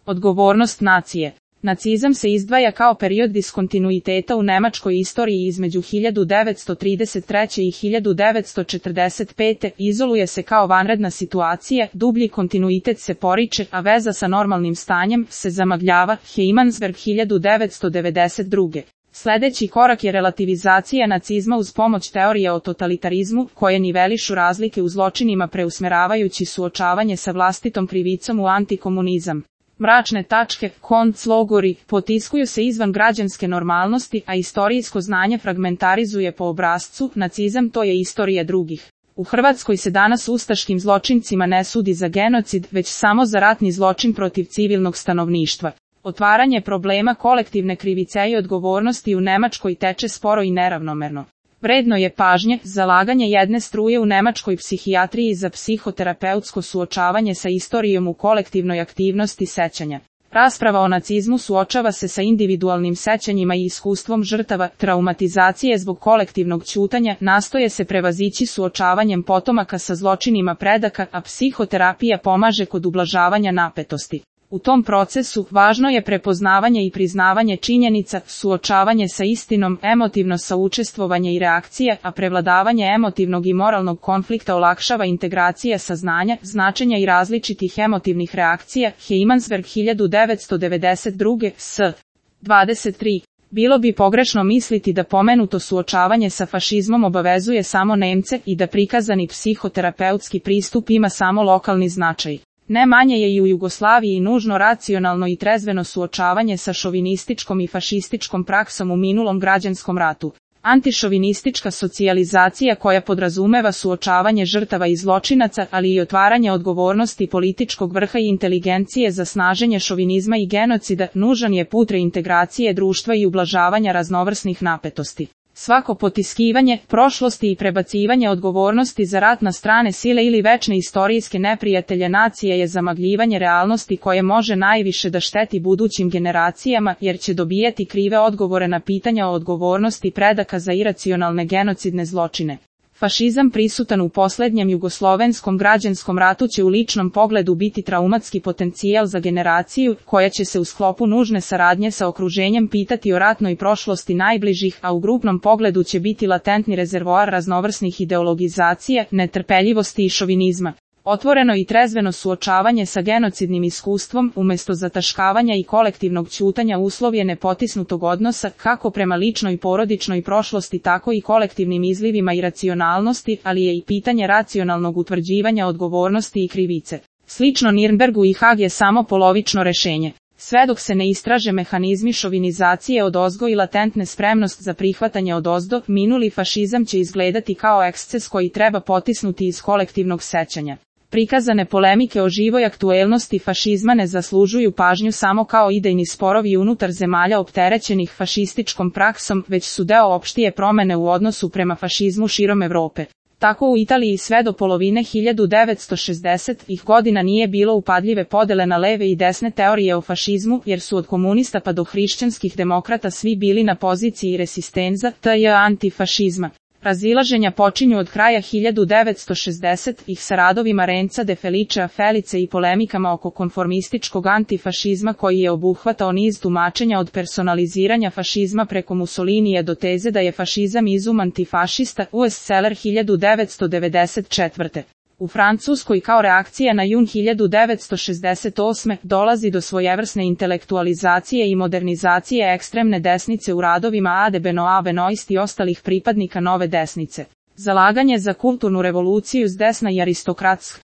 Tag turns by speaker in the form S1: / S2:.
S1: Odgovornost nacije. Nacizam se izdvaja kao period diskontinuiteta u nemačkoj istoriji između 1933. i 1945. Izoluje se kao vanredna situacija, dublji kontinuitet se poriče, a veza sa normalnim stanjem se zamagljava. Heimansberg 1992. Sljedeći korak je relativizacija nacizma uz pomoć teorije o totalitarizmu, koje nivelišu razlike u zločinima preusmeravajući suočavanje sa vlastitom krivicom u antikomunizam. Mračne tačke, konclogori, potiskuju se izvan građanske normalnosti, a istorijsko znanje fragmentarizuje po obrascu, nacizam to je istorija drugih. U Hrvatskoj se danas ustaškim zločincima ne sudi za genocid, već samo za ratni zločin protiv civilnog stanovništva. Otvaranje problema kolektivne krivice i odgovornosti u Nemačkoj teče sporo i neravnomerno. Vredno je pažnje, zalaganje jedne struje u nemačkoj psihijatriji za psihoterapeutsko suočavanje sa istorijom u kolektivnoj aktivnosti sećanja. Rasprava o nacizmu suočava se sa individualnim sećanjima i iskustvom žrtava, traumatizacije zbog kolektivnog ćutanja, nastoje se prevazići suočavanjem potomaka sa zločinima predaka, a psihoterapija pomaže kod ublažavanja napetosti. U tom procesu važno je prepoznavanje i priznavanje činjenica, suočavanje sa istinom, emotivno saučestvovanje i reakcija, a prevladavanje emotivnog i moralnog konflikta olakšava integracija saznanja, značenja i različitih emotivnih reakcija. Heimansberg 1992. s. 23. Bilo bi pogrešno misliti da pomenuto suočavanje sa fašizmom obavezuje samo Nemce i da prikazani psihoterapeutski pristup ima samo lokalni značaj. Ne manje je i u Jugoslaviji nužno racionalno i trezveno suočavanje sa šovinističkom i fašističkom praksom u minulom građanskom ratu. Antišovinistička socijalizacija koja podrazumeva suočavanje žrtava i zločinaca, ali i otvaranje odgovornosti političkog vrha i inteligencije za snaženje šovinizma i genocida, nužan je put reintegracije društva i ublažavanja raznovrsnih napetosti. Svako potiskivanje prošlosti i prebacivanje odgovornosti za rat na strane sile ili večne istorijske neprijatelje nacije je zamagljivanje realnosti koje može najviše da šteti budućim generacijama, jer će dobijati krive odgovore na pitanja o odgovornosti predaka za iracionalne genocidne zločine. Fašizam prisutan u posljednjem jugoslovenskom građanskom ratu će u ličnom pogledu biti traumatski potencijal za generaciju, koja će se u sklopu nužne saradnje sa okruženjem pitati o ratnoj prošlosti najbližih, a u grupnom pogledu će biti latentni rezervoar raznovrsnih ideologizacija, netrpeljivosti i šovinizma. Otvoreno i trezveno suočavanje sa genocidnim iskustvom, umjesto zataškavanja i kolektivnog ćutanja uslov je nepotisnutog odnosa, kako prema ličnoj porodičnoj prošlosti tako i kolektivnim izlivima iracionalnosti, ali je i pitanje racionalnog utvrđivanja odgovornosti i krivice. Slično Nirnbergu i Hag je samo polovično rešenje. Sve dok se ne istraže mehanizmi šovinizacije odozgo i latentne spremnost za prihvatanje odozdo, minuli fašizam će izgledati kao eksces koji treba potisnuti iz kolektivnog sećanja. Prikazane polemike o živoj aktuelnosti fašizma ne zaslužuju pažnju samo kao idejni sporovi unutar zemalja opterećenih fašističkom praksom, već su deo opštije promene u odnosu prema fašizmu širom Evrope. Tako u Italiji sve do polovine 1960-ih godina nije bilo upadljive podele na leve i desne teorije o fašizmu, jer su od komunista pa do hrišćanskih demokrata svi bili na poziciji resistenza, tj. antifašizma. Razilaženja počinju od kraja 1960-ih sa radovima Renza de Felicea Felice i polemikama oko konformističkog antifašizma koji je obuhvatao niz tumačenja od personaliziranja fašizma preko Mussolinija do teze da je fašizam izum antifašista, Bestseller 1994. U Francuskoj kao reakcija na jun 1968. dolazi do svojevrsne intelektualizacije i modernizacije ekstremne desnice u radovima Ade Benoist i ostalih pripadnika nove desnice. Zalaganje za kulturnu revoluciju s desna i aristokratska